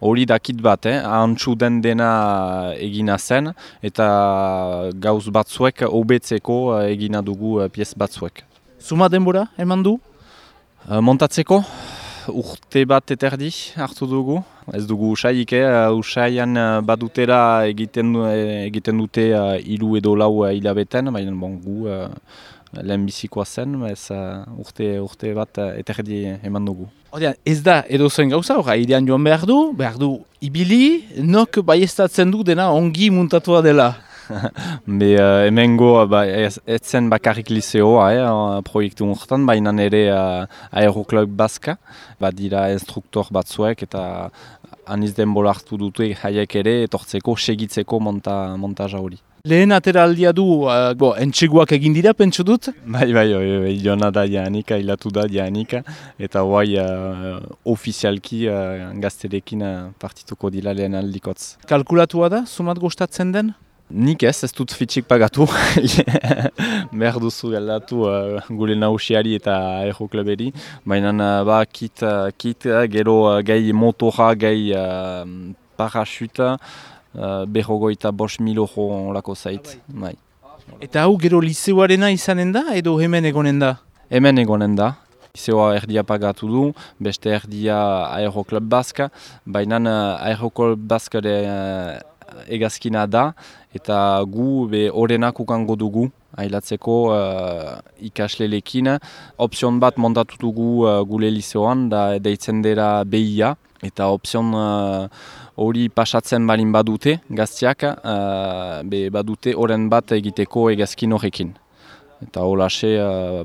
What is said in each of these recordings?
hori dakit bat, ahantsu den dena egina zen, eta gauz batzuek hobetzeko egina dugu piez batzuek. Zuma denbora, eman du? Montatzeko, urte bat eterdi hartu dugu. Ez dugu usaiik, usaian badutera egiten dute 3 edo 4 hilabeten, baina gu lehen bizikoa zen, urte bat eterdi eman dugu. Ordean, ez da edozen gauza, airean joan behar du ibili, nok baiestatzen du dena ongi muntatua dela. Hemengo ez zen bakarrik liseoa proiektu horretan, baina ere Aeroklub Baska, dira instruktor batzuek eta aniz denbora hartu dute haiek ere etortzeko, segitzeko montaja hori. Lehen ateraldia du, entxeguak egin dira, pentsu dut? Bai, joana da jaanika, hilatu da jaanika, eta hoai ofizialki gazterekin partituko dira lehen aldikotz. Kalkulatua da, zumat gustatzen den? Nik ez dut fitxik pagatu, behar duzu galdatu gure nausiari eta aerokluberi, baina kit gero gai motora, gai parachute, 55.000 euro olako zait. Bai. Eta hau gero liseoarena izanen da edo hemen egonen da? Hemen egonen da. Liseoa erdia pagatu du, beste erdia Aeroklub Baska, baina Aeroklub Baska egazkina da, eta gu horrenak ukango dugu, ailatzeko ikaslelekin. Opzion bat montatu dugu gure liseoan, da deitzen dira BIA, eta opzion hori pasatzen balin badute, gaztiak, badute horren bat egiteko egazkin horrekin. Eta holaxe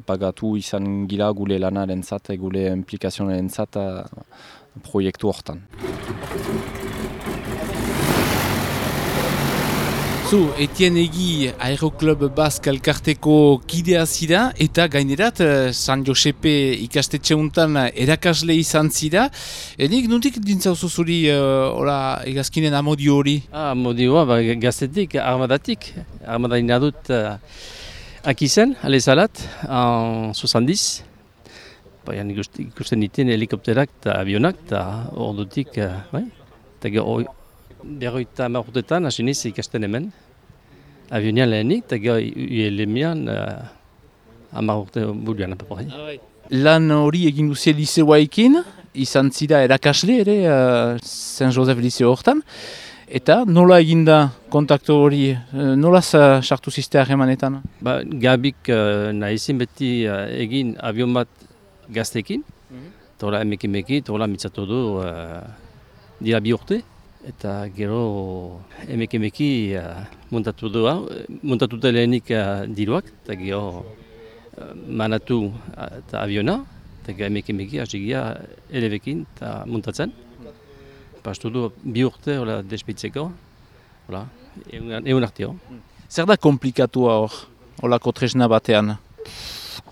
pagatu izan gira gure lanaren zat, gure implikazionaren zat proiektu hortan. Zu, Etienne Egi Aeroklub Bask elkarteko kidea zira eta gainerat San Josepe ikastetxe untan erakasle izan zira. Enik nuntik dintzauzu zuri egazkinen amodio hori? Amodioa, gaztetik, armadatik. Armadina dut akizen, alezalat, en 70. Baina ikusten ditzen helikopterak eta avionak eta ordutik, berroita marrutetan, hasi niz ikasten hemen. Avionian lehenik, eta gero ULM-ian 10 urte buruan apaporai. Lan hori egin duzia liseoaekin, izan zira erakasle ere Saint Joseph liseo hortan. Eta nola eginda kontaktu hori, nola sartu ziste harremanetan? Gabik nahizin beti egin avion bat gaztekin, tola emekimeki, tola mitzatu du dira 2 urte. Eta gero emekimeki montatu lehenik diruak, eta gero manatu eta aviona, eta gero emekimeki hasigia elebekin eta montatzen. Pastu du 2 urte despitzeko, egun arteo. Zer da komplikatua hor, holako tresna batean?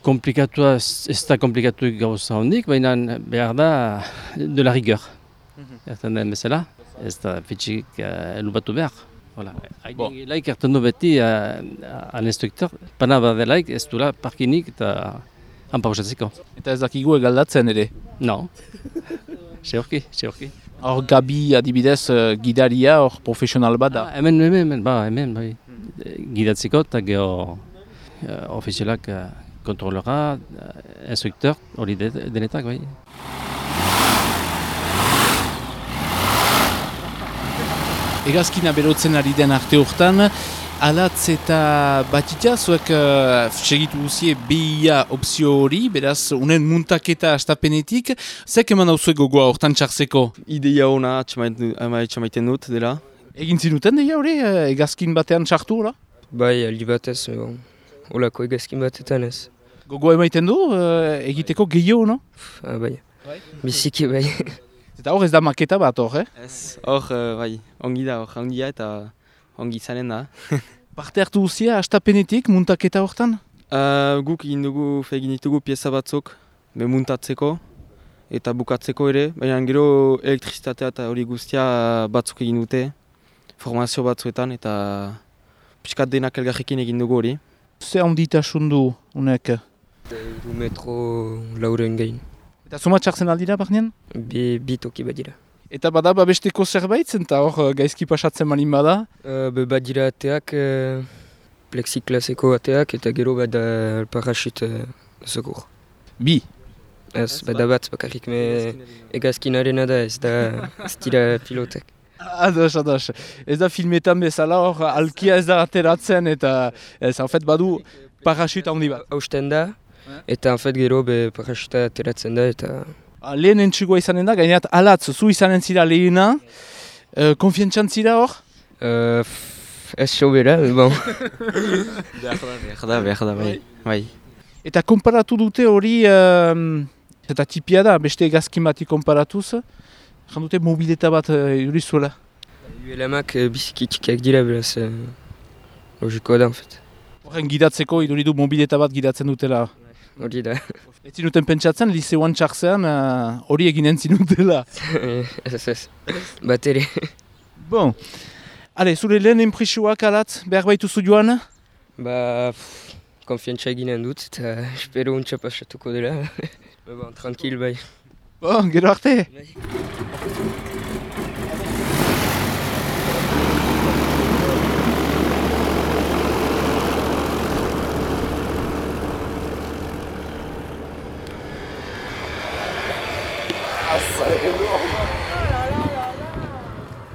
Komplikatua ez da komplikatu gauza hondik, baina behar da de la rigueur. Erten den bezala. Ez da fitxik elubatu behar. Laik erten du beti an instruktor, pana badelaik ez dula parkinik eta hanpausatzeko. Eta ez dakigu egaldatzen ere? No. Seorki. Hor Gabi adibidez gidaria, hor profesional bat da? Hemen, gidatzeko eta geho ofizialak kontrolora, instruktor, hori denetak, bai. Egazkina berotzen ari den arte hortan, alatz eta batita, zuek segitu guzie BIA opzio hori, beraz, unen muntaketa astapenetik, zek eman hauzuek gogoa hortan txartzeko? Ideia hona atxamaiten dut dela. Egin zinuten deia hori, egazkin batean txartu, hola? Bai, aldi batez, holako egazkin batetan ez. Gogoa emaiten du, egiteko gehiago, no? Bai, biziki bai. Eta hor ez da maketa bat hor, Ez, hor, ongi da, ongia eta ongi izanen da. Parte hartu guzia, astapenetik, muntaketa hortan? Guk egin ditugu pieza batzuk, muntatzeko eta bukatzeko ere, baina gero elektrizitatea eta hori guztia batzuk egin dute, formazio batzuetan eta pixkat denak elgarrekin egin dugu hori. Ze handitasun du, unek? 2 metro lauren gain. Eta zuma txartzen aldira, barnean? Bi toki badira. Eta bada babesteko zerbait zen, eta hor gaizki pasatzen malin bada? Badira ateak, plexiklaseko ateak, eta gero bada parachute segur. Bi. Ez, bada bat bakarrik, egazkinarena da, ez dira pilotek. Ados. Ez da filmetan bezala hor, alkia ez da ateratzen, eta ez, en fait, badu parachute handi bat. Hausten da, eta en fait gero parachuta ateratzen da, eta... Lehen entzugoa izanen da, gaineat alatz, zu izanen zira lehena, konfientzan zira hor? Ez sobera, bon. Behar da, bai. Eta konparatu dute hori, eta tipia da, beste egazkin bati konparatuz, jan dute mobileta bat jurizuela. ULM-ak biziki txikiak dira, beraz, logikoa da, en fait. Horren gidatzeko, iduridu mobileta bat gidatzen dutela. Hori da. Ez zinuten pentsatzen, liseuan txartzean hori eginen zinutela. Ez. Bat ere. Bon. Ale, zure lehen enpresioak alatz, behar baituzu joan? Konfiantza eginen dut, eta espero untxa pasatuko dela. Tranquil, bai. Bon, gero arte.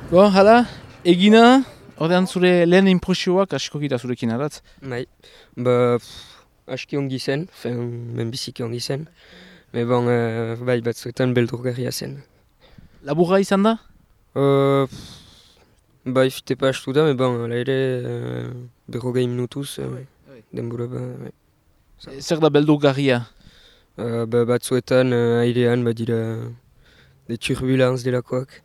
Bon, hala, egina, ordean zure lehen impresioak asko gira zurekin aratz. Bai, aski ongi zen, biziki ongi zen. Bai, batzuetan beldurgarria zen. Laburra izan da? Bai, fite pastu da, ala ere, 40 minutuz, denbora bai. Zer da beldurgarria? Batzuetan airean badira de turbulanz delakoak.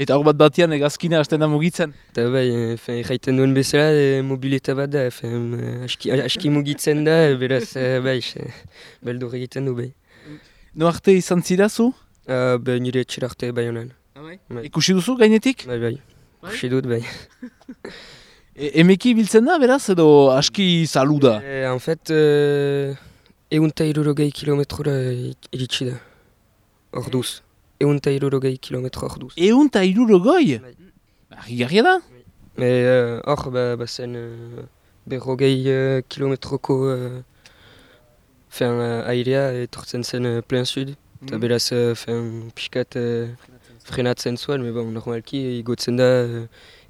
Eta hor bat batean egazkina hasten da mugitzen? Eta bai, jaiten duen bezala mobileta bat da, aski mugitzen da, beraz, bai, beldur egiten du bai. No arte izan zirazu? Nire etxera arte bai honen. Ikusi duzu gainetik? Bai, ikusi dut bai. Emeki biltzen da, beraz, edo aski zalu da? En fait, 160 kilometrora iritsi da, orduz. 160 kilometro orduz. 160? Argigarria da? Hor, bazen 40 kilometroko airea etortzen zen plein sud. Eta beraz, pixkat frenatzen zuen, normalki igotzen da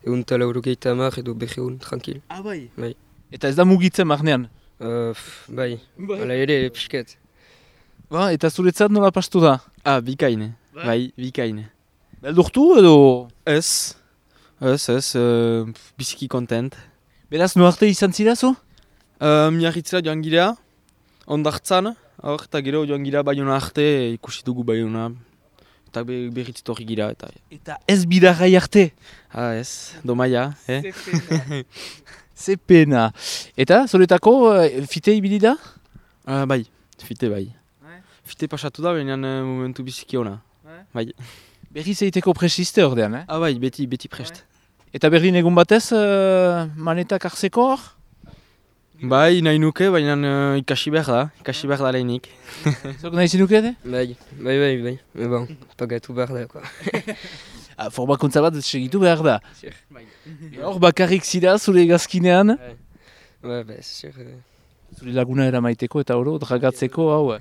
180 edo 200, tranquil. Bai? Bai. Eta ez da mugitzen marnean? Bai, ala ere pixkat. Eta zuretzat nola pastu da? Bikaine. Bai, bikaine. Beldurtu edo? Ez, biziki kontent. Beraz, no arte izan zirazu? Miarritzera joan gira, ondartzan, eta gero joan gira Baiona arte, ikusi dugu Baiona, eta berriz torri gira. Eta ez bidarrai arte? Ez, domaia, Ze pena. Eta, zuretako, fite ibili da? Bai, fite bai. Fite pasatu da, baina momentu biziki ona. Bai. Berriz egiteko presiste ordean, Bai, beti prest. Eta Berlin egun batez, manetak hartzeko hor? Bai, nahi nuke, baina ikasi behar da lehenik. Zok nahi zinuke, de? Bai. Pagatu behar da, Formakuntza bat segitu behar da. Hor bakarrik zira zure egazkinean? Bai, Zure laguna eramaiteko eta oro, dragatzeko, hau.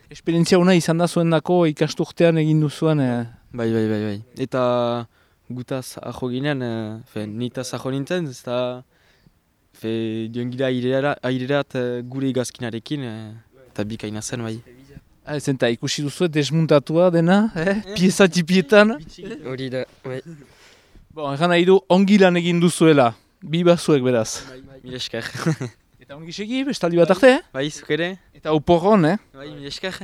Esperientzia hona izan da zuen dako ikasturtean egin duzuan. Bai. Eta gutaz ajo ginen, nitaz ajo nintzen, ez da joan gira airerat gure igazkinarekin, eta bikaina zen, bai. Zenta ikusi duzu desmuntatua dena, pieza tipietan. Hori da, bai. Bon, egan nahi du ongi lan egin duzuela, bi bazuek beraz. Mil esker. Eta ongi segi, bestaldi bat arte, Bai, zuk ere. Eta oporron, Bai, mil esker.